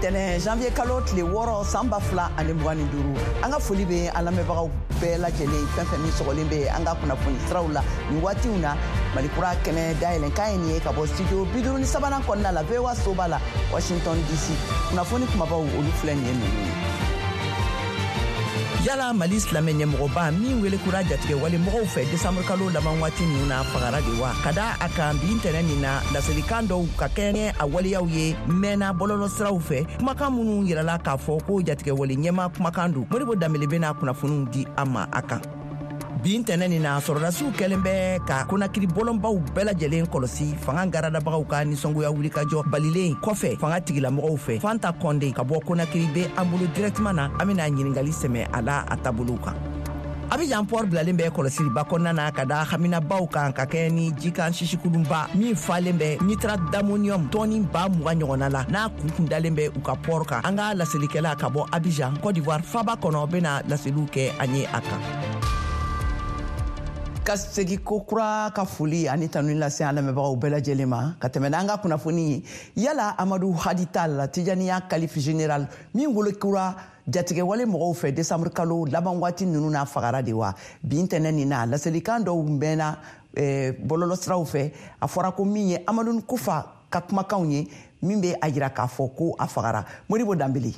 Ntɛnɛn, janvier kalo tile 6, san 2025, an ka foli bɛ an lamɛnbagaw bɛɛ lajɛlen, fɛn fɛn min sɔgɔlen bɛ an ka kunnafoni siraw la nin waatiw na. Malikura kɛnɛ dayɛlɛn kan ye nin ye ka bɔ studio 53nan kɔnɔna la, VOA soba la, Washington DC. Kunnafoni kumabaw, olu filɛ nin ye ninnu ye. Yala Mali silamɛ ɲɛmɔgɔba min wele kura jatigɛ wale mɔgɔw fɛ desanburu kalo laban waati ninnu na, fagara de wa? Ka da a kan, bi ntɛnɛ nin na, laselikan dɔw ka kɛɲɛ a waleyaw ye mɛnna bɔlɔlɔ siraw fɛ, kumakan minnu yirala k'a fɔ ko jatigɛwale ɲɛma kumakan don. Modibo Danbele bɛna kunnafoniw di an ma a kan. Bi ntɛnɛ nin na, sɔrɔdasiw kɛlen bɛ ka Konakiri bɔlɔnbaw bɛɛ lajɛlen kɔlɔsi, fanga garadabagaw ka nisɔngoya wulikajɔ balilen kɔfɛ fanga tigilamɔgɔw fɛ. Fanta Kɔnde ka bɔ Konakiri bɛ an bolo directement na, an bɛna ɲiningali sɛmɛ a la a taabolow kan. Abijan port bilalen bɛ kɔlɔsiliba kɔnɔna na ka da haminabaw kan ka kɛ ni jikan sisikulunba min falen bɛ nitrate d'ammonium tɔni 20 000 ɲɔgɔnna la, n'a kun kun dalen bɛ u ka port kan. An ka laselikɛla ka bɔ Abijan, Côte d'Ivoire faba kɔnɔ, bɛna laseliw kɛ an ye a kan. Ka segi ko kura ka foli ani tanuni lase an lamɛnbagaw bɛɛ lajɛlen ma ka tɛmɛ n'an ka kunnafoni ye. Yala Amadu Hadi Tal, Tijaniya calife général min wele kura jatigɛwale mɔgɔw fɛ desanburu kalo laban waati ninnu na, fagara de wa? Bi ntɛnɛ nin na, laselikan dɔw mɛnna bɔlɔlɔ siraw fɛ, a fɔra ko min ye Amadu Kufa ka kumakanw ye, min bɛ a yira k'a fɔ ko a fagara. Modibo Danbele.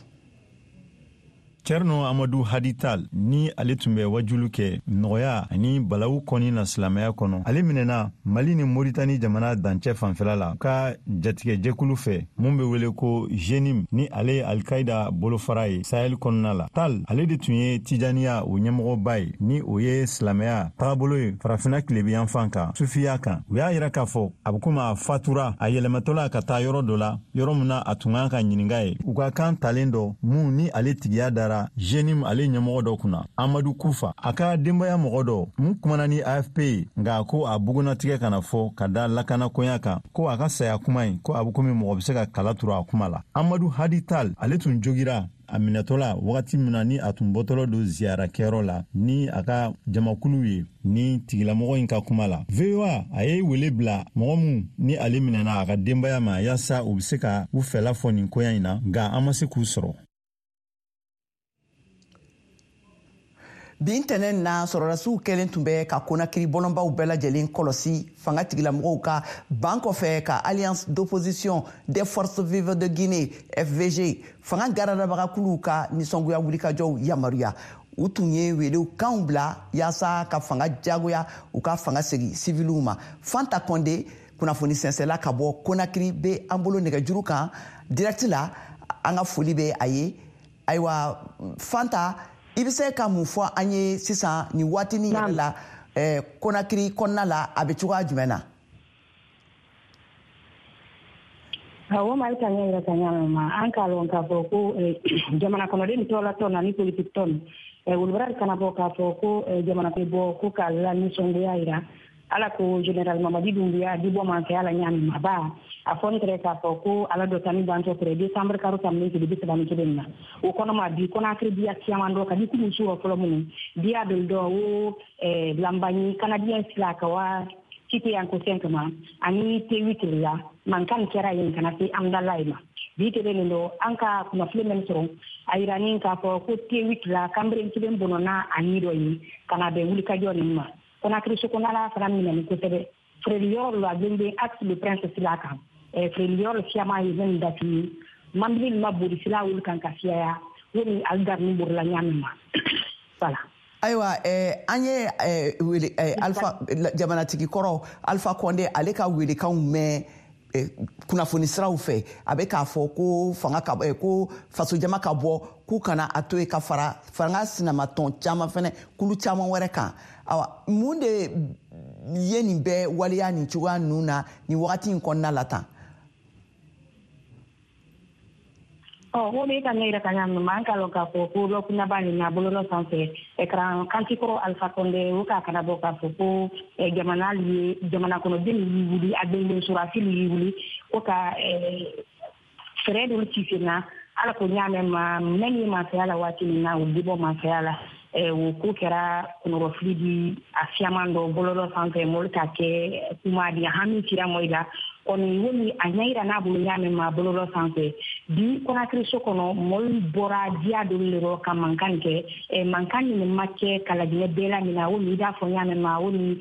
Cɛrno Amadu Hadi Tal, ni ale tun bɛ wajulu kɛ nɔgɔya ani balawu kɔni na silamɛya kɔnɔ, ale minɛna Mali ni Moritani jamana dancɛ fanfɛla la ka jatigɛjɛkulu fɛ mun be wele ko JNIM, ni ale ye Alkaida bolofara ye Sahel kɔnɔna la. Tal, ale de tun ye Tijaniya o ɲɛmɔgɔba ye, ni o ye silamɛya tagabolo ye Farafina tilebiyanfan kan, sufiya kan. U y'a yira k'a fɔ a be komi a fatura a yɛlɛmatɔla ka taa yɔrɔ dɔ la, yɔrɔ min na a tun kan ka ɲininga ye. U ka kan talen dɔ mun ni ale tigiya dara JNIM ale ɲɛmɔgɔ dɔ kunna, Amadu Kufa. A ka denbaya mɔgɔ dɔ mun kumana ni AFP ye, nka ko a bugunatigɛ kana fɔ ka da lakanakoɲa kan, ko a ka saya kuma in, ko a be komi mɔgɔ be se ka kala turu a kuma la. Amadu Hadi Tal, ale tun jogira a minɛtɔla wagati min na ni a tun bɔtɔlɔ don ziyara kɛyɔrɔ la ni a ka jamakulu ye, ni tigilamɔgɔ in ka kuma la. VOA a ye wele bila mɔgɔ min ni ale minɛna a ka denbaya ma, yaasa u be se ka u fɛla fɔ nin koɲa in na, nka an ma se k'u sɔrɔ. Bi ntɛnɛn na, sɔrɔdasiw kɛlen tun bɛ ka Konakiri bɔlɔnbaw bɛɛ lajɛlen kɔlɔsi, fanga tigilamɔgɔw ka ban kɔfɛ ka Alliance d'opposition des forces vives de Guinée, FVG, fanga garadabagakuluw ka nisɔngoya wulikajɔw yamaruya. U tun ye welew kanw bila yaasa ka fanga jagoya u ka fanga segi siviliw ma. Fanta Kɔnde, kunnafoni sɛnsɛla ka bɔ Konakiri, bɛ an bolo nɛgɛjuru kan direct la, an ka foli bɛ a ye. Ayiwa Fanta, i bɛ se ka mun fɔ an ye sisan nin waatinin yɛrɛ la, Konakiri kɔnɔna la, a bɛ cogoya jumɛn na? Awɔ, Mali ka ɲɛ yɛrɛ ka ɲa ma, an k'a lɔn k'a fɔ ko jamana kɔnɔden tɔla tɔn ani politiki tɔn, olu bara kana bɔ k'a fɔ ko jamana bɛ bɔ ko k'a la nisɔngoya yira ala ko général Mamadi Doumbouya di bɔ masaya la ɲaami ma ba. A fɔ ne tɛrɛ k'a fɔ ko ala dɔ tani bantɔ tɛrɛ décembre karo tɛmɛnen tile 31 na. O kɔnɔ ma bi Conakry diya caman dɔ ka di kulu su fɔlɔ minnu diya dɔ dɔ o lambaɲi Canadien sila ka wa cité yan ko cinq ma ani T8 la mankan kɛra yen ka na se Amdalaye ma. Bi tele nin dɔ, an ka kunnafoni min sɔrɔ, a yira ni k'a fɔ ko T8 la kanbere kelen bɔnɔna a ni dɔ ye ka na bɛn wulikajɔ nin ma. Conakry sokɔnɔla fana minɛni kosɛbɛ, feereli yɔrɔ la gbengbeng axe le Prince sila kan, feereli yɔrɔ siyama ye min datugu, mambili ma boli sila wuli kan ka fiyaya wo ni ali ni borila ɲaami ma. Voilà. Ayiwa, an ye wele Alpha, jamanatigi kɔrɔ Alpha Condé, ale ka welekanw mɛn kunnafoni siraw fɛ. A bɛ k'a fɔ ko fanga ka ko fasojama ka bɔ k'u kana a to yen, ka fara fanga sinamatɔn caman fɛnɛ, kulu caman wɛrɛ kan. Awa, mun de ye nin bɛɛ waleya nin cogoya ninnu na nin wagati in kɔnɔna la tan? Ɔ, o bɛ ka ne yɛrɛ ka ɲa ma, an k'a lɔn k'a fɔ ko lɔkunnaba nin na bololɔ sanfɛ, écran kanti kɔrɔ Alpha Condé o k'a kana bɔ k'a fɔ ko jamana ye jamana kɔnɔden y'i wuli, a gbengben surasi y'i wuli ko ka fɛɛrɛ dɔ ci sen na ala ko ɲaamɛ ma mɛn ye masaya la waati min na, o dibɔ masaya la. O ko kɛra kɔnɔrɔfili di a siyaman dɔ bɔlɔlɔ sanfɛ, mɔli ka kɛ kuma di hami sira mɔ i la. Kɔni wo min a ɲɛ yira n'a bolo ɲa min ma bɔlɔlɔ sanfɛ bi Conakry so kɔnɔ, mɔɔlu bɔra diya dolu le rɔ ka mankan kɛ. Mankan nin ma kɛ ka Laginɛ bɛɛ lamina, wo min i b'a fɔ ɲa min ma, wo min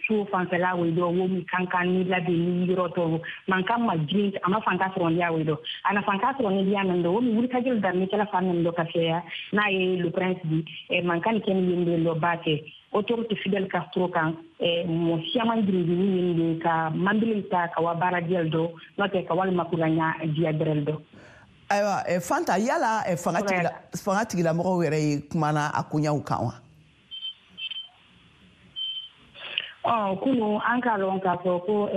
so fanfɛla wo dɔ, wo min kankan ni labi ni yɔrɔ tɔw, mankan ma girin, a ma fanka sɔrɔ diya wo dɔ, a na fanka sɔrɔ ni diya min dɔ, wo min wulikajɔ daminɛ kɛla fan min dɔ ka fɛya n'a ye le prince di, mankan kɛ ni yen de dɔ ba kɛ autorité Fidel Castro kan. Mɔgɔ siyaman giringiri yen de ka manbili ta ka wa baara diyal dɔ, n'o tɛ ka walima kuranya diya bɛrɛl dɔ. Ayiwa Fanta, yala fanga tigilamɔgɔw yɛrɛ ye kumana a koɲaw kan wa? Kunu an k'a lɔn k'a fɔ ko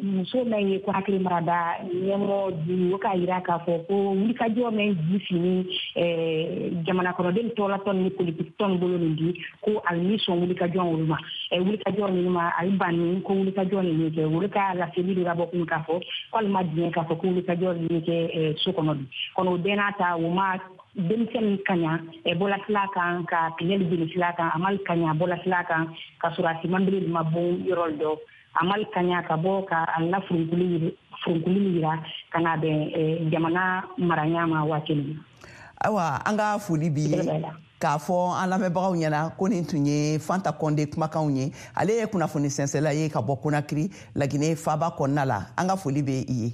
muso min ye Conakry marada ɲɛmɔgɔ di, o k'a yira k'a fɔ ko wulikajɔ min ji fini jamana kɔnɔden tɔɔlatɔn ni politiki tɔn bolo nin di, ko ali ni sɔn wulikajɔ olu ma, wulikajɔ ninnu ma, ali banni ko wulikajɔ nin kɛ. Olu ka laseli de ka bɔ kunu k'a fɔ ko ali ma diɲɛ k'a fɔ ko wulikajɔ nin kɛ so kɔnɔ bi. Kɔnɔ o bɛɛ n'a ta, o ma denmisɛnnin kaɲa bɔlasila kan ka pinɛli jeli sila kan, a ma kaɲa bɔlasila kan ka sɔrɔ a simanbili ma bon yɔrɔ dɔ, a ma kaɲa ka bɔ ka a la furunkuli yira ka na bɛn jamana maraɲa ma waati min. Ayiwa, an ka foli b'i ye k'a fɔ an lamɛnbagaw ɲɛna ko nin tun ye Fanta Kɔnde kumakanw ye. Ale ye kunnafoni sɛnsɛla ye ka bɔ Conakry, Laginɛ faaba kɔnɔna la. An ka foli bɛ i ye.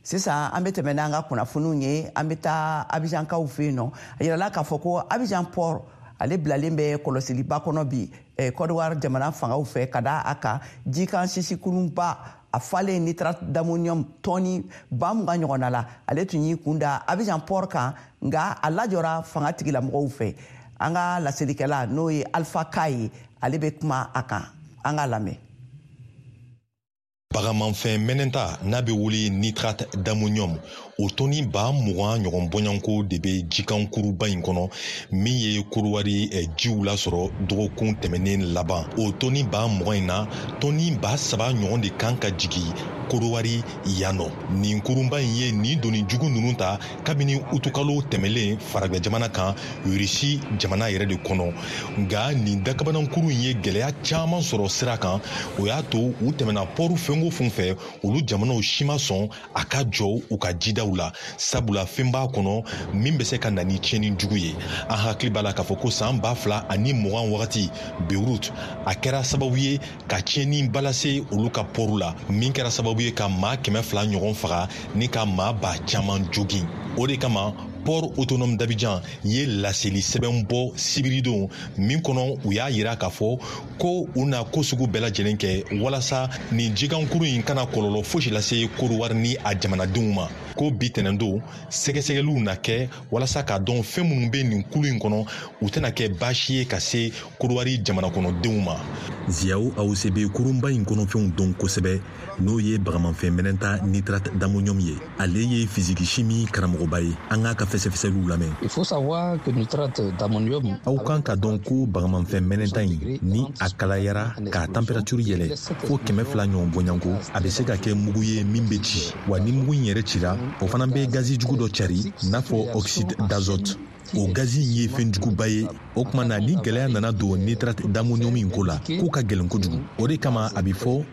Sisan an bɛ tɛmɛ n'an ka kunnafoniw ye. An bɛ taa Abijankaw fɛ yen nɔ. A yirala k'a fɔ ko Abijan port, ale bilalen bɛ kɔlɔsiliba kɔnɔ bi Côte d'Ivoire jamana fangaw fɛ, ka da a kan jikan sisikurunba a falen nitrate d'ammonium tɔni 20 000 ɲɔgɔnna la, ale tun y'i kun da Abijan port kan, nka a lajɔra fanga tigilamɔgɔw fɛ. An ka laselikɛla, n'o ye Alpha Ka ye, ale bɛ kuma a kan. An k'a lamɛn. Bagamanfɛn mɛnɛnta n'a bɛ wele nitrate d'ammonium, o tɔni 20 000 ɲɔgɔn bɔɲɔgɔnko de bɛ jikankuruba in kɔnɔ min ye Korowari jiw lasɔrɔ dɔgɔkun tɛmɛnen laban. O tɔni 20 000 in na, tɔni 3000 ɲɔgɔn de kan ka jigin Korowari yan nɔ. Nin kurunba in ye nin doni jugu ninnu ta kabini utukalo tɛmɛlen faragɛ jamana kan, Irisi jamana yɛrɛ de kɔnɔ. Nka nin dakabanankuru in ye gɛlɛya caman sɔrɔ sira kan. O y'a to u tɛmɛna pɔru fɛn o fɛn fɛ, olu jamanaw si ma sɔn a ka jɔ u ka jidaw la, sabula fɛn b'a kɔnɔ min bɛ se ka na ni tiɲɛni jugu ye. An hakili b'a la k'a fɔ ko san 2020 wagati, Beirut, a kɛra sababu ye ka tiɲɛni ba lase olu ka pɔru la, min kɛra sababu ye ka maa 200 ɲɔgɔn faga ni ka maa ba caman jogin. O de kama port autonome d'Abidjan ye laseli sɛbɛn bɔ sibiridon min kɔnɔ, u y'a yira k'a fɔ ko u na ko sugu bɛɛ lajɛlen kɛ walasa nin jikankuru in kana kɔlɔlɔ fosi lase Korowari ni a jamanadenw ma. Ko bi tɛnɛndon, sɛgɛsɛgɛliw na kɛ walasa k'a dɔn fɛn minnu bɛ nin kulu in kɔnɔ, u tɛna kɛ baasi ye ka se Korowari jamana kɔnɔdenw ma. Ziyaw Awuse bɛ kurunba in kɔnɔfɛnw dɔn kosɛbɛ, n'o ye bagamafɛn mɛnɛnta nitrate d'ammonium ye. Ale ye physique chimie karamɔgɔba ye. An k'a ka fɛsɛfɛsɛliw lamɛn. Il faut savoir que nitrate d'ammonium Aw kan ka dɔn ko bagamafɛn mɛnɛnta in, ni a kalayara k'a température yɛlɛ fo 200 ɲɔgɔn bɔɲɔgɔnko, a bɛ se ka kɛ mugu ye min bɛ ci. Wa ni mugu in yɛrɛ cira, o fana bɛ gazi jugu dɔ cari n'a fɔ oxyde d'azote. O gazi in ye fɛn juguba ye. O tuma na, ni gɛlɛya nana don nitrate d'ammonium in ko la, k'o ka gɛlɛn kojugu. O de kama a bɛ fɔ,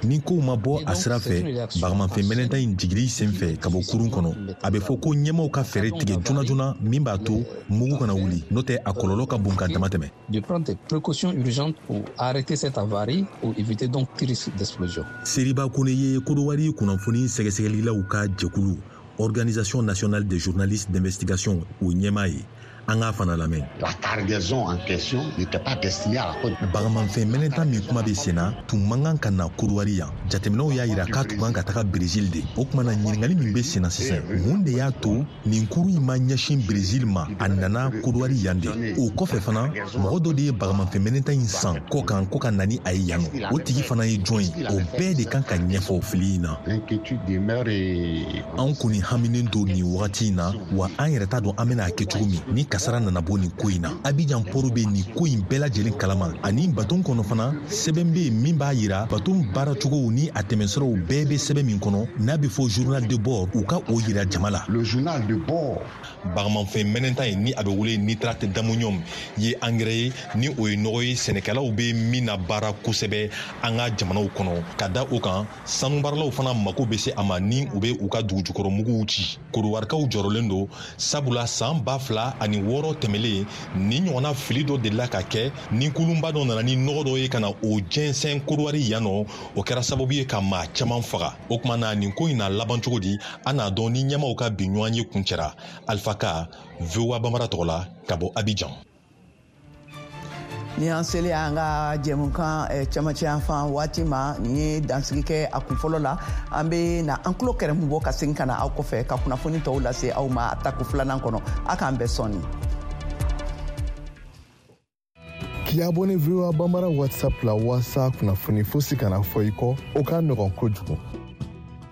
ni kow ma bɔ a sira fɛ bagamafɛn mɛnɛnta in jigili sen fɛ ka bɔ kurun kɔnɔ, a bɛ fɔ ko ɲɛmaw ka fɛɛrɛ tigɛ joona joona min b'a to mugu kana wuli, n'o tɛ a kɔlɔlɔ ka bon ka dama tɛmɛ. De prendre des précautions urgentes pour arrêter cette avarie pour éviter donc tout risque d'explosion. Seriba Kone ye Kodowari kunnafoni sɛgɛsɛgɛlilaw ka jɛkulu, Organisation nationale des journalistes d'investigation, o ɲɛmaa ye. An k'a fana lamɛn. La cargaison en question n'était pas destinée à la Côte. Bagamafɛn mɛnɛta min kuma bɛ sen na, tun man kan ka na Kodowari yan. Jateminɛw y'a yira k'a tun kan ka taga Brésil de. O tuma na, ɲininkali min bɛ sen na sisan, mun de y'a to nin kurun in ma ɲɛsin Brésil ma, a nana Kodowari yan de? O kɔfɛ fana, mɔgɔ dɔ de ye bagamafɛn mɛnɛta in san kɔ kan ko ka na ni a ye yan nɔ. O tigi fana ye jɔn ye? O bɛɛ de kan ka ɲɛfɔ fili in na. L'inquiétude demeure et An kɔni haminen don nin wagati in na, wa an yɛrɛ t'a dɔn an bɛna a kɛ cogo min ni kasara nana bɔ nin ko in na. Abidjan port bɛ nin ko in bɛɛ lajɛlen kalama, ani baton kɔnɔ fana sɛbɛn bɛ yen min b'a yira baton baaracogow ni a tɛmɛsiraw bɛɛ bɛ sɛbɛn min kɔnɔ n'a bɛ fɔ journal de bord, u ka o yira jama la. Le journal de bord. Bagamafɛn mɛnɛnta ye ni a bɛ wele nitrate d'ammonium ye angɛrɛ ye, ni o ye nɔgɔ ye sɛnɛkɛlaw bɛ min na baara kosɛbɛ an ka jamanaw kɔnɔ. Ka da o kan, sanubaaralaw fana mako bɛ se a ma ni u bɛ u ka dugujukɔrɔmuguw ci. Kodiwarikaw jɔrɔlen don, sabula san 2006 tɛmɛlen nin ɲɔgɔnna fili dɔ delila ka kɛ ni kulunba dɔ nana ni nɔgɔ dɔ ye ka na o jɛnsɛn Kodiwari yan nɔ. O kɛra sababu ye ka maa caman faga. O tuma na nin ko in na laban cogo di, an n'a dɔn ni ɲɛmaaw ka bi ɲɔgɔn ye kuncɛra. Alpha Ka, VOA Bambara tɔgɔ la, ka bɔ Abidjan. Ni an selen an ka jɛmukan cɛmancɛ yan fan waati ma, nin ye dansigi kɛ a kun fɔlɔ la. An bɛ na an tulo kɛrɛmu bɔ ka segin ka na aw kɔfɛ ka kunnafoni tɔw lase aw ma a tako filanan kɔnɔ. A k'an bɛn sɔɔni. K'i abonné VOA Bambara WhatsApp la walasa kunnafoni fosi kana fɔ i kɔ, o ka nɔgɔn kojugu.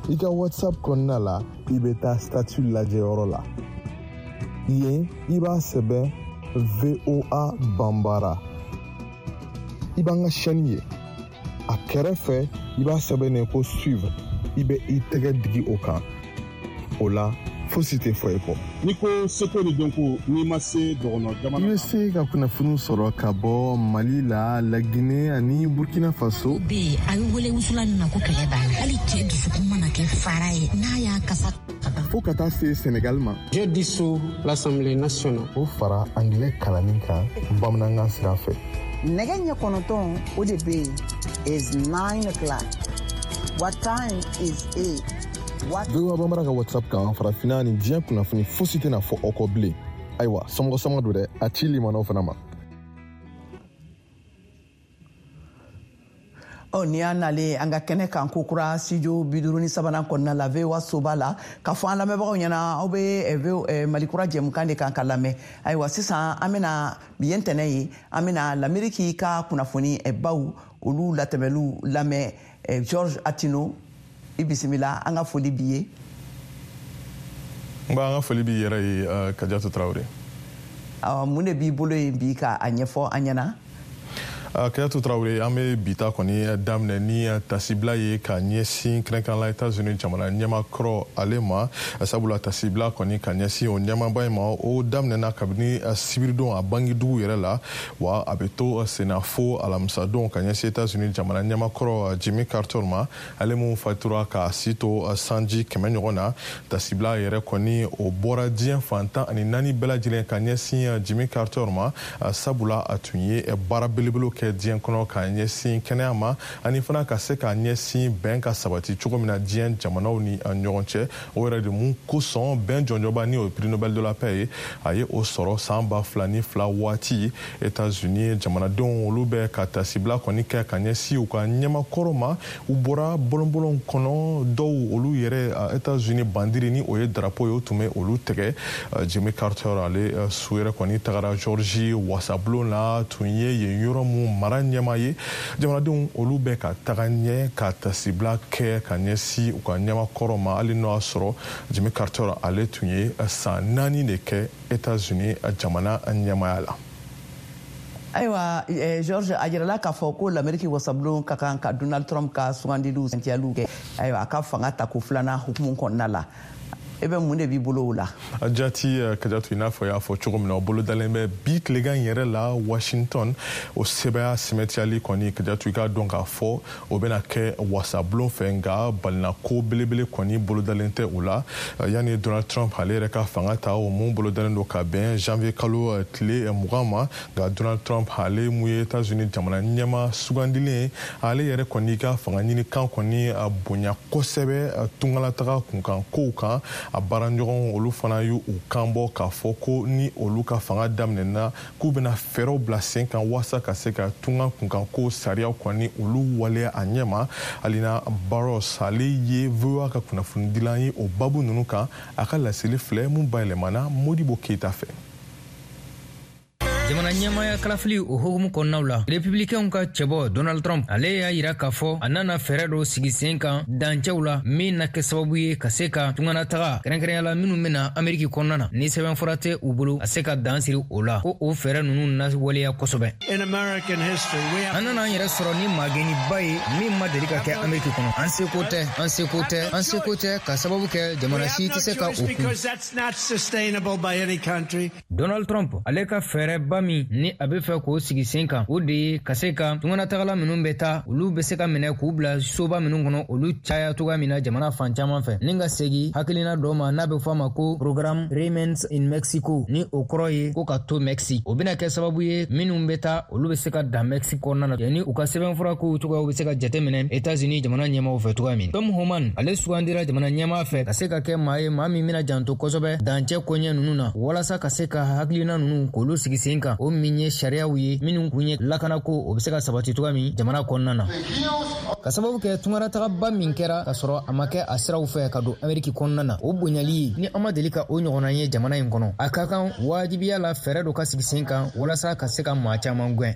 I ka WhatsApp kɔnɔna la, i bɛ taa statut lajɛyɔrɔ la. Yen, i b'a sɛbɛn VOA Bambara. I b'an ka chaîne ye. A kɛrɛfɛ, i b'a sɛbɛn ko suivre. I bɛ i tɛgɛ digi o kan. O la, fosi tɛ fɔ i kɔ. N'i ko seko ni dɔnko, n'i ma se dɔgɔnɔ jamana. I bɛ se ka kunnafoniw sɔrɔ ka bɔ Mali la, Laginɛ ani Burkina Faso. Bɛ yen, a bɛ wele wusulan min ma ko kɛlɛ b'a la. Hali cɛ dusukun mana kɛ fara ye, n'a y'a kasa. Fo ka taa se Senegal ma. Je dissous l'Assemblée nationale. O fara angilɛ kalanni kan bamanankan sira fɛ. Nɛgɛ ɲɛ 9 o de bɛ yen. Is 9 o'clock. What time is it? VOA Bambara ka WhatsApp kan, farafinna ni diɲɛ kunnafoni fosi tɛna fɔ aw kɔ bilen. Ayiwa, somɔgɔ sama don dɛ, a ci limanaw fana ma. Ɔ, ni y'an nalen an ka kɛnɛ kan ko kura studio 53nan kɔnɔna la, VOA soba la, k'a fɔ an lamɛnbagaw ɲɛna aw bɛ Mali kura jɛmukan de kan ka lamɛn. Ayiwa, sisan an bɛna bi ye ntɛnɛn ye, an bɛna Lameriki ka kunnafoni baw olu latɛmɛliw lamɛn. George Attino, i bisimila, an ka foli b'i ye. N b'an ka foli b'i yɛrɛ ye, Kadiatou Traoré. Mun de b'i bolo yen bi ka a ɲɛfɔ an ɲɛna? Kadiatou Traoré, an bɛ bi ta kɔni daminɛ ni tasibila ye ka ɲɛsin kɛrɛnkɛrɛnnenya États-Unis jamana ɲɛmaakɔrɔ ale ma, sabula tasibila kɔni ka ɲɛsin o ɲɛmaaba in ma, o daminɛna kabini sibiridon a bangedugu yɛrɛ la, wa a bɛ to senna fo alamisadon ka ɲɛsin États-Unis jamana ɲɛmaakɔrɔ Jimmy Carter ma, ale mun fatura k'a si to sanji 100 ɲɔgɔn na. Tasibila yɛrɛ kɔni o bɔra diɲɛ fan 14 bɛɛ lajɛlen ka ɲɛsin Jimmy Carter ma, sabula a tun ye baara belebele kɛ diɲɛ kɔnɔ ka ɲɛsin kɛnɛya ma, ani fana ka se ka ɲɛsin bɛn ka sabati cogo min na diɲɛ jamanaw ni ɲɔgɔn cɛ. O yɛrɛ de mun kosɔn bɛn jɔnjɔba ni o ye prix Nobel de la paix ye, a ye o sɔrɔ san 2002 waati. États-Unis jamanadenw olu bɛ ka tasibila kɔni kɛ ka ɲɛsin u ka ɲɛmakɔrɔ ma. U bɔra bɔlɔnbɔlɔn kɔnɔ, dɔw olu yɛrɛ États-Unis bandiri ni o ye drapeau ye, o tun bɛ olu tɛgɛ. Jimmy Carter ale su yɛrɛ kɔni tagara Georgie wasabulon la, tun ye yen yɔrɔ mun mara ɲɛmaa ye. Jamanadenw olu bɛ ka taga ɲɛ ka tasibila kɛ ka ɲɛsin u ka ɲɛmakɔrɔ ma, hali n'o y'a sɔrɔ Jimmy Carter ale tun ye san 4 de kɛ États-Unis jamana ɲɛmaaya la. Ayiwa, George, a jirala k'a fɔ ko Lameriki wasabulon ka kan ka Donald Trump ka sugandiliw sɛntiyaliw kɛ, ayiwa, a ka fanga tako filanan hukumu kɔnɔna la. E bɛ mun de b'i bolo o la? Jati Kadiatou, i n'a fɔ i y'a fɔ cogo min na, o bolodalen bɛ bi tilegan yɛrɛ la Washington. O sɛbɛya sɛmɛtiyali kɔni, Kadiatou, i k'a dɔn k'a fɔ o bɛna kɛ wasabulon fɛ, nka balinako belebele kɔni bolodalen tɛ o la. Yanni Donald Trump ale yɛrɛ ka fanga ta, o mun bolodalen don ka bɛn janvier kalo tile 20 ma, nka Donald Trump ale mun ye États-Unis jamana ɲɛmaa sugandilen ye, ale yɛrɛ kɔni ka fanga ɲini kan kɔni bonya kosɛbɛ tungalataga kunkan kow kan. A baaraɲɔgɔnw olu fana y'u kan bɔ k'a fɔ ko ni olu ka fanga daminɛna, k'u bɛna fɛɛrɛw bila sen kan walasa ka se ka tunga kunkanko sariyaw kɔni olu waleya a ɲɛ ma. Alina Barros ale ye VOA ka kunnafonidilan ye o babu ninnu kan. A ka laseli filɛ mun bayɛlɛmana Modibo Keyita fɛ. Jamana ɲɛmaaya kalafili o hukumu kɔnɔnaw la, Republicainw ka cɛbɔ Donald Trump, ale y'a yira k'a fɔ a nana fɛɛrɛ dɔ sigi sen kan dancɛw la min na kɛ sababu ye ka se ka tunganataga, kɛrɛnkɛrɛnya la minnu bɛna Ameriki kɔnɔna na ni sɛbɛnfura tɛ u bolo, a se ka dan siri o la, ko o fɛɛrɛ ninnu na waleya kosɛbɛ. An nana an yɛrɛ sɔrɔ ni magɛnniba ye min ma deli ka kɛ Ameriki kɔnɔ. An seko tɛ, an seko tɛ, an seko tɛ, ka sababu kɛ jamana si tɛ se ka o kun. Donald Trump ale ka fɛɛrɛba min ni a bɛ fɛ k'o sigi sen kan, o de ye ka se ka tunganatagala minnu bɛ taa, olu bɛ se ka minɛ k'u bila soba minnu kɔnɔ, olu caya cogoya min na jamana fan caman fɛ, ni ka segin hakilina dɔ ma n'a bɛ fɔ a ma ko programme Remain in Mexico, ni o kɔrɔ ye ko ka to Mexique. O bɛna kɛ sababu ye minnu bɛ taa, olu bɛ se ka dan Mexique kɔnɔna na, yanni u ka sɛbɛnfura kow cogoyaw bɛ se ka jateminɛ États-Unis jamana ɲɛmaaw fɛ cogoya min. Tom Homan, ale sugandira jamana ɲɛmaa fɛ ka se ka kɛ maa ye, maa min bɛna janto kosɛbɛ dancɛ koɲɛ ninnu na, walasa ka se ka hakilina ninnu k'olu sigi sen kan, o min ye sariyaw ye minnu kun ye lakanako, o bɛ se ka sabati cogoya min jamana kɔnɔna na. Ka sababu kɛ tungaratagaba min kɛra ka sɔrɔ a ma kɛ a siraw fɛ ka don Ameriki kɔnɔna na, o bonyali ye ni an ma deli ka o ɲɔgɔnna ye jamana in kɔnɔ, a ka kan wajibiya la fɛɛrɛ dɔ ka sigi sen kan walasa ka se ka maa caman gwɛn.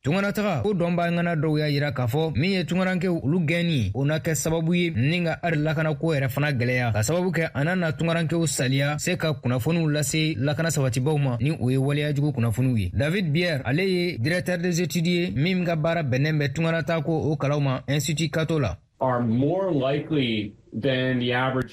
Tunganataga ko dɔnbaa ŋana dɔw y'a yira k'a fɔ min ye tungarankew olu gɛnni, o na kɛ sababu ye ni ka ari lakanako yɛrɛ fana gwɛlɛya, ka sababu kɛ a na na tungarankew saliya se ka kunnafoniw lase lakana sabatibaw ma ni o ye waleyajugu kunnafoniw ye. David Bier, ale ye directeur des études ye min ka baara bɛnnen bɛ tunganatako o kalaw ma Institut Cato la.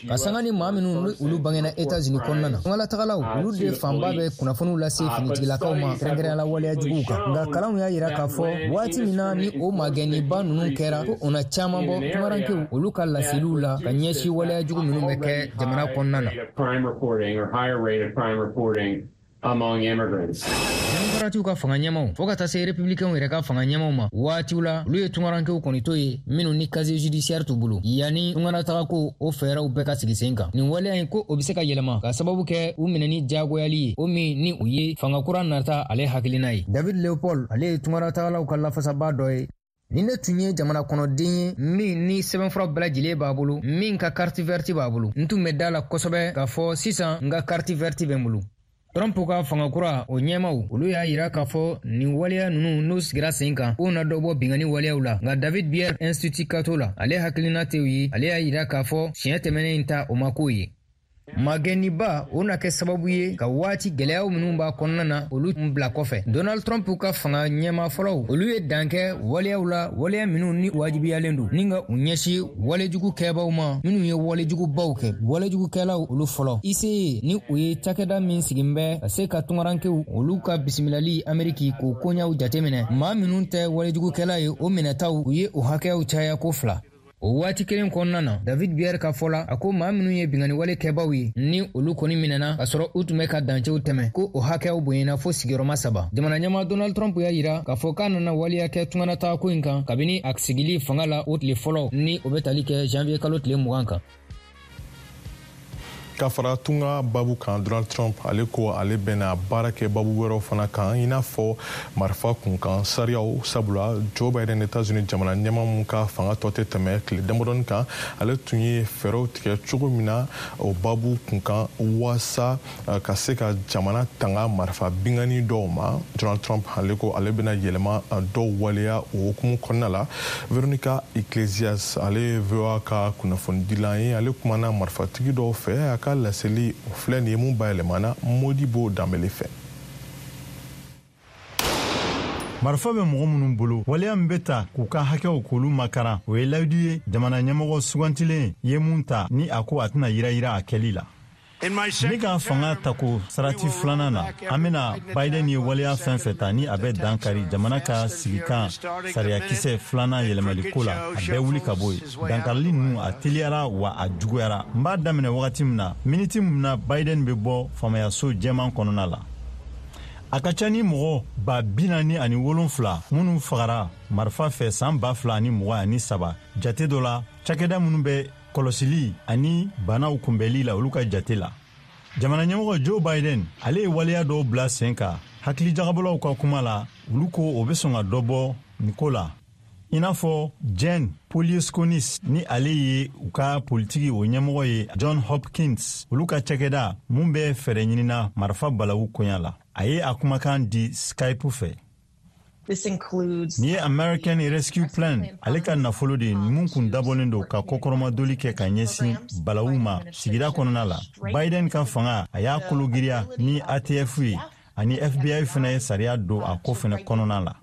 Ka sanga ni maa minnu ni olu bangena Etats-Unis kɔnɔna na, tungalatagalaw olu de fanba bɛ kunnafoniw lase finitigilakaw ma, kɛrɛnkɛrɛnya la waleya juguw kan. Nka kalanw y'a yira k'a fɔ waati min na ni o magɛnniba ninnu kɛra, ko o na caman bɔ tungarankew olu ka laseliw la ka ɲɛsin waleya jugu minnu bɛ kɛ jamana kɔnɔna na. Among immigrants. Demokaratiw ka fanga ɲɛmaw fɔɔ ka taa se Republicainw yɛrɛ ka fanga ɲɛmaw ma, waatiw la olu ye tungarankew kɔni to ye minnu ni casier judiciaire t'u bolo yanni tungaratagako o fɛɛrɛw bɛɛ ka sigi sen kan. Nin waleya in, ko o be se ka yɛlɛma ka sababu kɛ u minɛni jagoyali ye, o min ni o ye fanga kura nata ale hakilina ye. David Leopold, ale ye tungaratagalaw ka lafasaba dɔ ye. Ni ne tun ye jamana kɔnɔden ye min ni sɛbɛnfura bɛɛ lajɛlen b'a bolo, min ka carte verte b'a bolo, n tun bɛ da la kosɛbɛ k'a fɔ sisan n ka carte verte bɛ n bolo. Trump ka fanga kura o ɲɛmaw, olu y'a yira k'a fɔ nin waleya ninnu n'u sigira sen kan, k'o na dɔ bɔ binkanni waleyaw la. Nka David Bier, Institut Cato la, ale hakilina tɛ ye. Ale y'a yira k'a fɔ siɲɛ tɛmɛnen in ta, o ma k'o ye. Magɛnniba o na kɛ sababu ye ka waati gwɛlɛyaw minnu b'a kɔnɔna na, olu bila kɔfɛ. Donald Trump ka fanga ɲɛma fɔlɔw, olu ye dan kɛ waleyaw la, waleya minnu ni wajibiyalen don ni ka u ɲɛsin walejugu kɛbaw ma minnu ye walejugubaw kɛ, walejugukɛlaw olu fɔlɔ. ICE, ni o ye cakɛda min sigin bɛ ka se ka tungarankew olu ka bisimilali Ameriki k'o koɲaw jateminɛ, maa minnu tɛ walejugukɛla ye, o minɛtaw, u ye o hakɛyaw caya ko fila o waati kelen kɔnɔna na. David Bier ka fɔ la, a ko maa minnu ye binkanniwale kɛbaw ye ni olu kɔni minɛna ka sɔrɔ u tun bɛ ka dancɛw tɛmɛ, ko o hakɛyaw bonyana fo sigiyɔrɔma saba. Jamana ɲɛma Donald Trump y'a yira k'a fɔ k'a nana waleya kɛ tunganatagako in kan kabini a sigili fanga la o tile fɔlɔ, ni o bɛ tali kɛ janvier kalo tile 20 kan. Ka fara tunga babu kan, Donald Trump ale ko ale bɛna baara kɛ babu wɛrɛw fana kan, i n'a fɔ marifa kunkan sariyaw, sabula Joe Biden, Etats-Unis jamana ɲɛma mun ka fanga tɔ tɛ tɛmɛ tile damadɔni kan, ale tun ye fɛɛrɛw tigɛ cogo min na o babu kunkan waasa ka se ka jamana tanga marifa bingani dɔw ma. Donald Trump ale ko ale bɛna yɛlɛma dɔw waleya o hukumu kɔnɔna la. Veronica Iglesias, ale ye VOA ka kunnafonidilan ye, ale kumana marifatigi dɔw fɛ. A ka laseli o filɛ nin ye mun bayɛlɛmana Modibo Danbele fɛ. Marifa bɛ mɔgɔ minnu bolo, waleya min bɛ ta k'u ka hakɛw k'olu makaran, o ye layidu ye jamana ɲɛmɔgɔ sugantilen ye mun ta ni a ko a tɛna yira a kɛli la. Ne ka fanga tako sarati filanan na, an bɛna Biden ye waleya fɛn fɛn ta ni a bɛ dan kari jamana ka sigikan sariyakisɛ filanan yɛlɛmaliko la, a bɛɛ wuli ka bɔ yen. Dankarili ninnu, a teliyara wa a juguyara. N b'a daminɛ wagati min na, miniti min na Biden bɛ bɔ faamayaso jɛman kɔnɔna la. A ka ca ni mɔgɔ 47,000 minnu fagara marifa fɛ san 2023 jate dɔ la, cakɛda minnu bɛ kɔlɔsili ani banaw kunbɛli la, olu ka jate la. Jamana ɲɛmɔgɔ Joe Biden, ale ye waleya dɔw bila sen kan. Hakilijagabɔlaw ka kuma la, olu ko o bɛ sɔn ka dɔ bɔ nin ko la. I n'a fɔ Jen Polyesconis, ni ale ye u ka politiki o ɲɛmɔgɔ ye John Hopkins, olu ka cakɛda mun bɛ fɛɛrɛ ɲinina marifa balawu koɲa la. A ye a kumakan di Skype fɛ. Nin ye American Rescue Plan ale ka nafolo de ye, mun kun dabɔlen don ka kɔkɔrɔmadoli kɛ ka ɲɛsin balawu ma sigida kɔnɔna la. Biden ka fanga, a y'a kologiriya ni ATF ye, ani FBI fana ye sariya don a ko fana kɔnɔna la.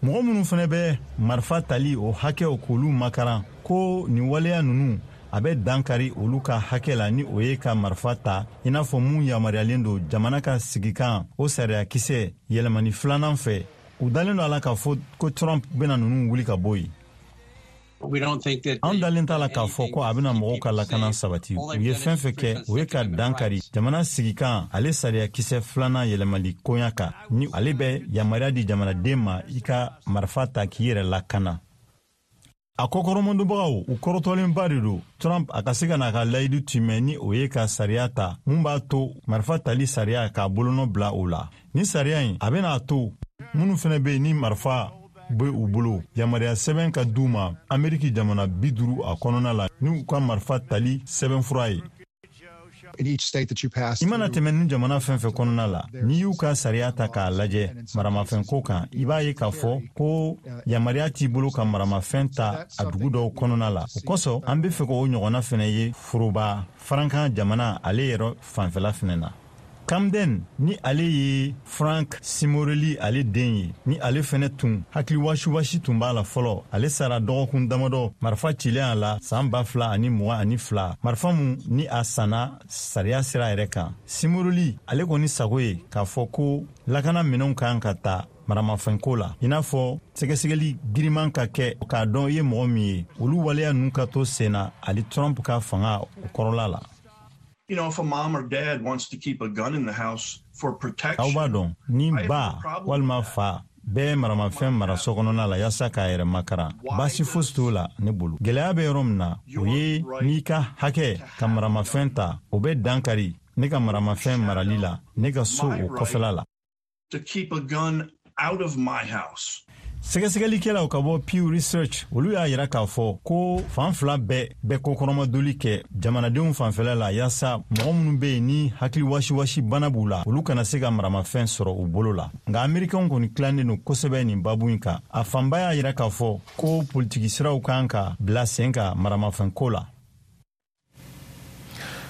Mɔgɔ minnu fana bɛ marifa tali o hakɛw k'olu makaran, ko nin waleya ninnu a bɛ dan kari olu ka hakɛ la, ni o ye ka marifa ta i n'a fɔ mun yamaruyalen don jamana ka sigikan o sariyakisɛ yɛlɛmani filanan fɛ. U dalen don a la k'a fɔ ko Trump bɛna ninnu wuli ka bɔ yen. An dalen t'a la k'a fɔ ko a bɛna mɔgɔw ka lakana sabati. U ye fɛn fɛn kɛ, o ye ka dan kari jamana sigikan ale sariyakisɛ filanan yɛlɛmali koɲa kan, ni ale bɛ yamaruya di jamanaden ma i ka marifa ta k'i yɛrɛ lakana. A kɔkɔrɔmadonbagaw, u kɔrɔtɔlenba de don Trump a ka se ka n'a ka layidu timɛ, ni o ye ka sariya ta mun b'a to marifa tali sariya k'a bolonɔ bila o la. Ni sariya in, a bɛna a to minnu fana bɛ yen ni marifa bɛ u bolo, yamaruya sɛbɛn ka d'u ma Ameriki jamana 50 a kɔnɔna la, n'u ka marifa tali sɛbɛnfura ye. I mana tɛmɛ ni jamana fɛn fɛn kɔnɔna la, n'i y'u ka sariya ta k'a lajɛ maramafɛnko kan, i b'a ye k'a fɔ ko yamaruya t'i bolo ka maramafɛn ta a dugu dɔw kɔnɔna la. O kosɔn, an be fɛ k'o ɲɔgɔnna fɛnɛ ye foroba farankan jamana ale yɛrɛ fanfɛla fɛnɛ na. Camden, ni ale ye Frank Simorelli ale den ye, ni ale fɛnɛ tun hakili wasiwasi tun b'a la fɔlɔ, ale sara dɔgɔkun damadɔ marifa cilen a la san 2022, marifa mun ni a sanna sariya sira yɛrɛ kan. Simorelli ale kɔni sago ye k'a fɔ ko lakana minɛnw kan ka ta maramafɛnko la, i n'a fɔ sɛgɛsɛgɛli giriman ka kɛ k'a dɔn i ye mɔgɔ min ye. Olu waleya ninnu ka to sen na ale Trump ka fanga o kɔrɔla la. Aw b'a dɔn, ni ba walima fa bɛɛ maramafɛn mara so kɔnɔna la yaasa k'a yɛrɛ makaran, baasi fosi t'o la ne bolo. Gɛlɛya bɛ yɔrɔ min na, o ye n'i ka hakɛ ka maramafɛn ta, o bɛ dan kari ne ka maramafɛn marali la ne ka so o kɔfɛla la. To keep a gun out of my house. Sɛgɛsɛgɛlikɛlaw ka bɔ Pew Research, olu y'a yira k'a fɔ ko fan fila bɛɛ bɛ kɔkɔrɔmadoli kɛ jamanadenw fanfɛla la, yaasa mɔgɔ minnu bɛ yen ni hakili wasiwasi bana b'u la, olu kana se ka maramafɛn sɔrɔ u bolo la. Nka Amerikɛnw kɔni tilannen don kosɛbɛ nin babu in kan. A fanba y'a yira k'a fɔ ko politiki siraw kan ka bila sen kan maramafɛnko la.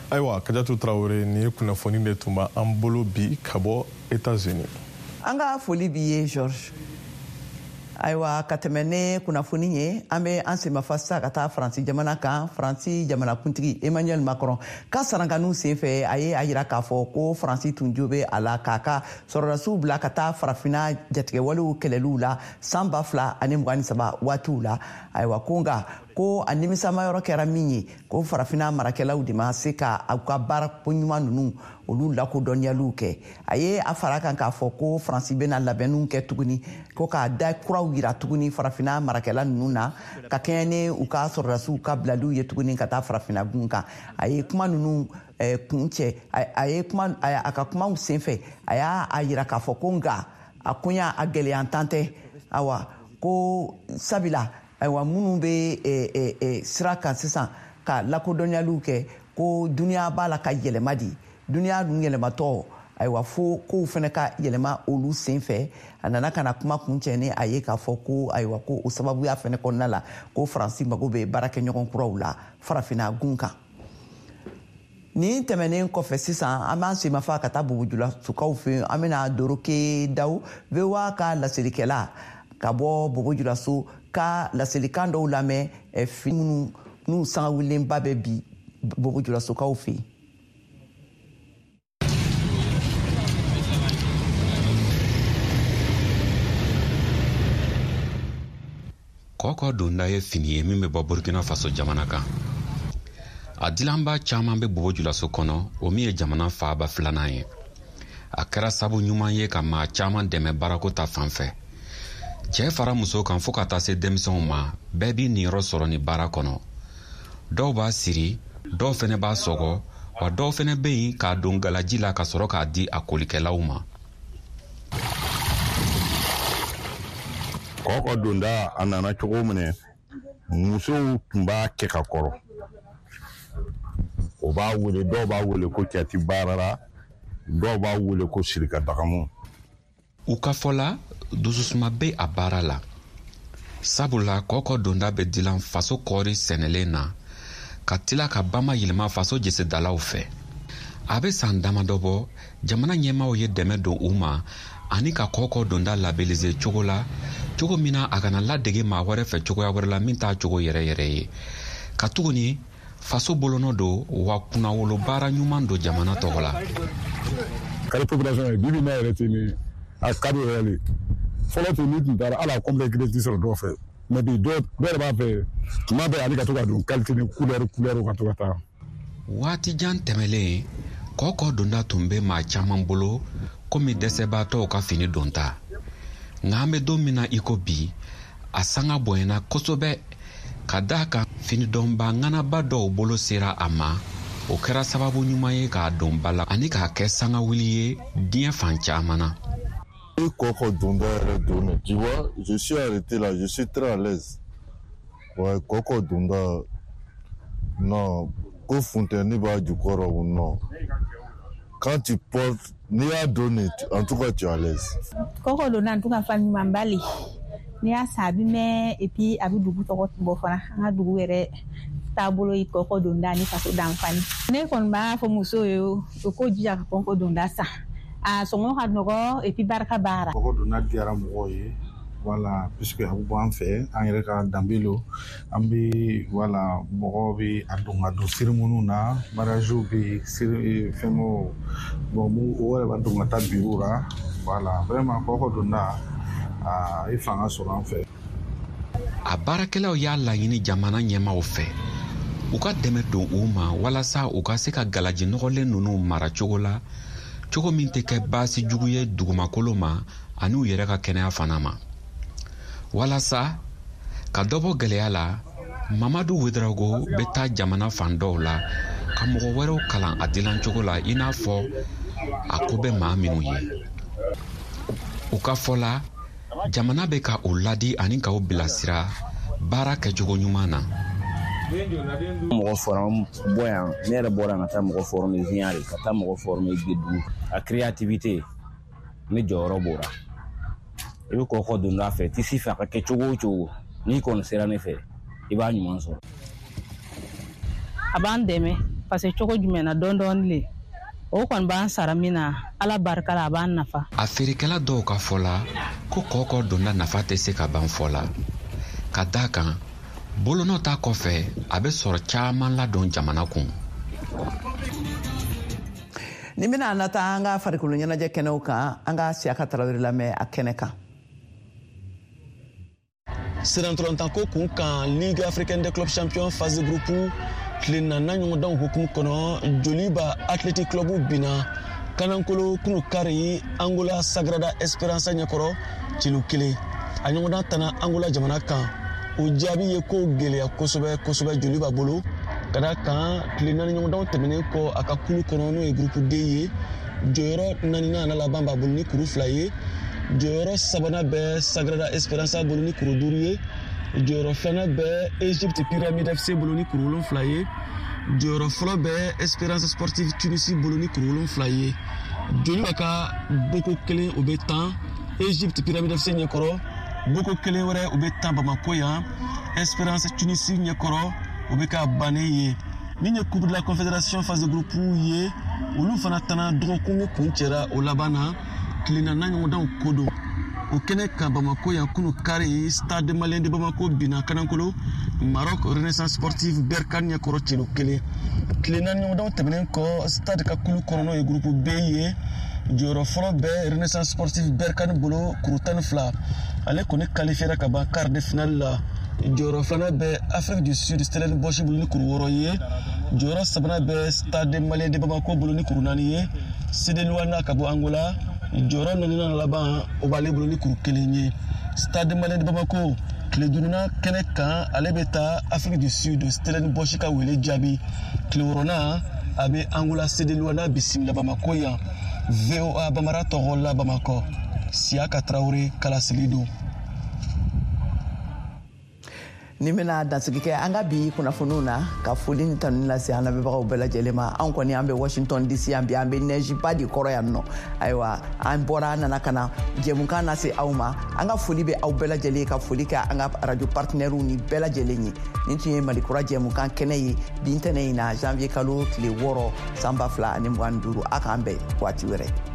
Ayiwa, Kajatu Tarawele, nin ye kunnafoni de tun b'an bolo bi ka bɔ Etats-Unis. An ka foli b'i ye, George. Ayiwa, ka tɛmɛ ne kunnafoni ye, an bɛ an senmafa sisan ka taa Faransi jamana kan. Faransi jamanakuntigi Emmanuel Macron ka sarankaniw senfɛ, a ye a yira k'a fɔ ko Faransi tun jo bɛ a la k'a ka sɔrɔdasiw bila ka taa Farafinna jatigɛwalew kɛlɛliw la san 2023 waatiw la. Ayiwa, ko nka ko a nimisama yɔrɔ kɛra min ye, ko Farafinna marakɛlaw de ma se ka u ka baara ko ɲuman ninnu olu lakodɔnniyaliw kɛ. A ye a fara kan k'a fɔ ko Faransi bɛna labɛnniw kɛ tuguni, ko k'a da kuraw yira tuguni Farafinna marakɛla ninnu na, ka kɛɲɛ ni u ka sɔrɔdasiw ka bilaliw ye tuguni ka taa Farafinna gun kan. A ye kuma ninnu kun cɛ, a ye kuma a ka kumaw senfɛ, a y'a a yira k'a fɔ ko nka a koɲa a gɛlɛyantan tɛ. Awa, ko sabila, ayiwa, minnu bɛ sira kan sisan ka lakodɔnyaliw kɛ, ko duniya b'a la ka yɛlɛma di, duniya dun yɛlɛmatɔ, ayiwa, fo kow fana ka yɛlɛma olu sen fɛ. A nana ka na kuma kun cɛ ni a ye k'a fɔ ko, ayiwa, ko o sababuya fana kɔnɔna la, ko Faransi mago bɛ baarakɛɲɔgɔn kuraw la Farafinna gun kan. Nin tɛmɛnen kɔfɛ sisan, an b'an senmafa ka taa Bobojulasukaw fɛ yen. An bɛna Doroke Daw, VOA ka laselikɛla ka bɔ Bobojulaso, ka laselikan dɔw lamɛn, fini minnu n'u sangawulilenba bɛ bi Bobojulasokaw fɛ yen. Kɔkɔ donda ye fini ye min bɛ bɔ Burkina Faso jamana kan. A dilanba caman bɛ Bobo Julaso kɔnɔ, o min ye jamana faaba filanan ye. A kɛra sabu ɲuman ye ka maa caman dɛmɛ baarako ta fan fɛ. Cɛɛ fara muso kan, fɔɔ ka taa se denmisɛnw ma, bɛɛ b'i niyɔrɔ sɔrɔ ni baara kɔnɔ. Dɔw b'a siri, dɔw fɛnɛ b'a sɔgɔ, wa dɔw fɛnɛ bɛ yen k'a don galaji la ka sɔrɔ k'a di a kolikɛlaw ma. Kɔkɔ donda a nana cogo min, musow tun b'a kɛ ka kɔrɔ. O b'a wele, dɔw b'a wele ko cɛti baarara, dɔw b'a wele ko sirika dagamu. U ka fɔ la, dususuma bɛ a baara la, sabula kɔkɔ donda bɛ dilan faso kɔɔri sɛnɛlen na ka tila ka bama yɛlɛma faso jesedalaw fɛ. A bɛ san damadɔ bɔ, jamana ɲɛmaaw ye dɛmɛ don u ma ani ka kɔkɔ donda labelize cogo la, cogo min na a kana ladege maa wɛrɛ fɛ cogoya wɛrɛ la min t'a cogo yɛrɛ yɛrɛ ye, ka tuguni faso bolonɔ don wa kunnawolo baara ɲuman don jamana tɔgɔ la. Kari population ye bibi n'a yɛrɛ tɛ ni a ka di yɛrɛ de. Fɔlɔ tun ni tun taara hali a complet kelen tɛ sɔrɔ dɔw fɛ, mais bi dɔw yɛrɛ b'a fɛ tuma bɛɛ ale ka to ka don qualité ni couleur ka to ka taa. Waati jan tɛmɛlen, kɔkɔ donda tun bɛ maa caman bolo komi dɛsɛbaatɔw ka fini donta. Nka an bɛ don min na i ko bi, a sanga bonyana kosɛbɛ ka d'a kan finidɔnba ŋanaba dɔw bolo sera a ma. O kɛra sababu ɲuman ye k'a don ba la ani k'a kɛ sangawuli ye diɲɛ fan caman na. I kɔkɔ donda yɛrɛ don, tu vois, je suis arrêté là, je suis très à l'aise. Ouais, kɔkɔ donda, non, ko funteni b'a jukɔrɔ ou non. Quand tu portes, n'i y'a donné, en tout cas tu es à l'aise. Kɔkɔ donda en tout cas fan ɲuman ba le. N'i y'a san a bɛ mɛn, et puis a bɛ dugu tɔgɔ bɔ fana. An ka dugu yɛrɛ taabolo ye kɔkɔ donda ni faso danfani. Ne kɔni b'a fɔ musow ye, u k'o jija ka kɔkɔ donda san. A sɔngɔ ka nɔgɔ et puis barika b'a la. Kɔkɔ donda diyara mɔgɔw ye. Voilà, puisque a bɛ bɔ an fɛ, an yɛrɛ ka danbe lo, an bɛ voilà, mɔgɔw bɛ a don ka don cérémonie na, mariage bɛ yen, fɛngɛw, bon o yɛrɛ b'a don ka taa bureau la. Voilà, vraiment kɔkɔ donda a ye fanga sɔrɔ an fɛ. A baarakɛlaw y'a laɲini jamana ɲɛmaaw fɛ u ka dɛmɛ don u ma walasa u ka se ka galaji nɔgɔlen ninnu mara cogo la, cogo min tɛ kɛ baasi jugu ye dugumakolo ma ani u yɛrɛ ka kɛnɛya fana ma. Walasa ka dɔ bɔ gɛlɛya la, Mamadu Wedrago bɛ taa jamana fan dɔw la ka mɔgɔ wɛrɛw kalan a dilancogo la, i n'a fɔ a ko bɛ maa minnu ye. U ka fɔ la, jamana bɛ ka u ladi ani k'u bilasira baara kɛcogo ɲuman na. Mɔgɔ forme bɔ yan, ne yɛrɛ bɔra ka taa mɔgɔ forme Ziyare, ka taa mɔgɔ forme Gedu. A créativité, ne jɔyɔrɔ b'o la. I bɛ kɔkɔ don a fɛ, tisi fɛ a ka kɛ cogo o cogo, n'i kɔni sera ne fɛ, i b'a ɲuman sɔrɔ. A b'an dɛmɛ parce que cogo jumɛn na, dɔɔni dɔɔni le. O kɔni b'an sara min na, Ala barika la, a b'an nafa. A feerekɛla dɔw ka fɔ la ko kɔkɔ donda nafa tɛ se ka ban fɔ la, ka d'a kan bolonɔ ta kɔfɛ a bɛ sɔrɔ caman ladon jamana kun. Ni bɛna an taa an ka farikolo ɲɛnajɛ kɛnɛw kan, an ka Siyaka Tarawele lamɛn a kɛnɛ kan. Sirantɔlantanko kun kan, Ligue africaine des clubs champions phase de groupe tile naaninan ɲɔgɔndanw hukumu kɔnɔ, Joliba Athletic Club binna Kanankolo kunu kari Angola Sagrada Esperança ɲɛkɔrɔ celu 1. A ɲɔgɔndan tana Angola jamana kan. O jaabi ye ko gɛlɛya kosɛbɛ kosɛbɛ Joliba bolo, ka da kan tile 4 ɲɔgɔndanw tɛmɛnen kɔ a ka kulu kɔnɔ, n'o ye groupe D ye, jɔyɔrɔ 4nan n'a laban b'a bolo ni kuru 2 ye. Jɔyɔrɔ 3nan bɛ Sagrada Esperança bolo ni kuru 5 ye. Jɔyɔrɔ 2nan bɛ Egypte Pyramide FC bolo ni kuru 7 ye. Jɔyɔrɔ fɔlɔ bɛ Esperance Sportive Tunisie bolo ni kuru 7 ye. Joliba ka boko 1 o bɛ tan Egypte Pyramide FC ɲɛkɔrɔ, boko 1 wɛrɛ o bɛ tan Bamako yan Esperance Tunisie ɲɛkɔrɔ, o bɛ ka bannen ye. Min ye Coupe de la Confédération phase de groupe ye, olu fana tana dɔgɔkun min kun cɛra o laban na, tile naaninan ɲɔgɔndanw ko don. O kɛnɛ kan Bamako yan kunu kari, Stade Malien de Bamako binna Kanankolo Maroc Renaissance Sportive Berkane ɲɛkɔrɔ celu 1. Tile 4 ɲɔgɔndanw tɛmɛnen kɔ, Stade ka kulu kɔnɔ n'o ye groupe B ye, jɔyɔrɔ fɔlɔ bɛ Renaissance Sportive Berkane bolo kuru 12. Ale kɔni qualifiera ka ban quart de finale la. Jɔyɔrɔ 2nan bɛ Afrique du Sud Stellenbosch bolo ni kuru 6 ye. Jɔyɔrɔ 3nan bɛ Stade Malien de Bamako bolo ni kuru 4 ye. CD Luanda ka bɔ Angola, jɔyɔrɔ 4nan laban o b'ale bolo ni kuru 1 ye. Stade Malien de Bamako tile 5nan kɛnɛ kan, ale bɛ taa Afrique du Sud Stellenbosch ka wele jaabi. Tile 6nan a bɛ Angola CD Luanda bisimila Bamako yan. VOA Bamara tɔgɔ la Bamakɔ, Siyaka Tarawele kalaseli don. Nin bɛna dansigi kɛ an ka bi kunnafoniw na, ka foli ni tanuni lase an lamɛnbagaw bɛɛ lajɛlen ma. Anw kɔni, an bɛ Washington DC yan bi, an bɛ nɛjiba de kɔrɔ yan nɔ. Ayiwa, an bɔra, an nana ka na jɛmukan lase aw ma. An ka foli bɛ aw bɛɛ lajɛlen, ka foli kɛ an ka radio partenaires ni bɛɛ lajɛlen ye. Nin tun ye Malikura jɛmukan kɛnɛ ye bi ntɛnɛn in na, janvier kalo tile 6, san 2025. A k'an bɛn waati wɛrɛ.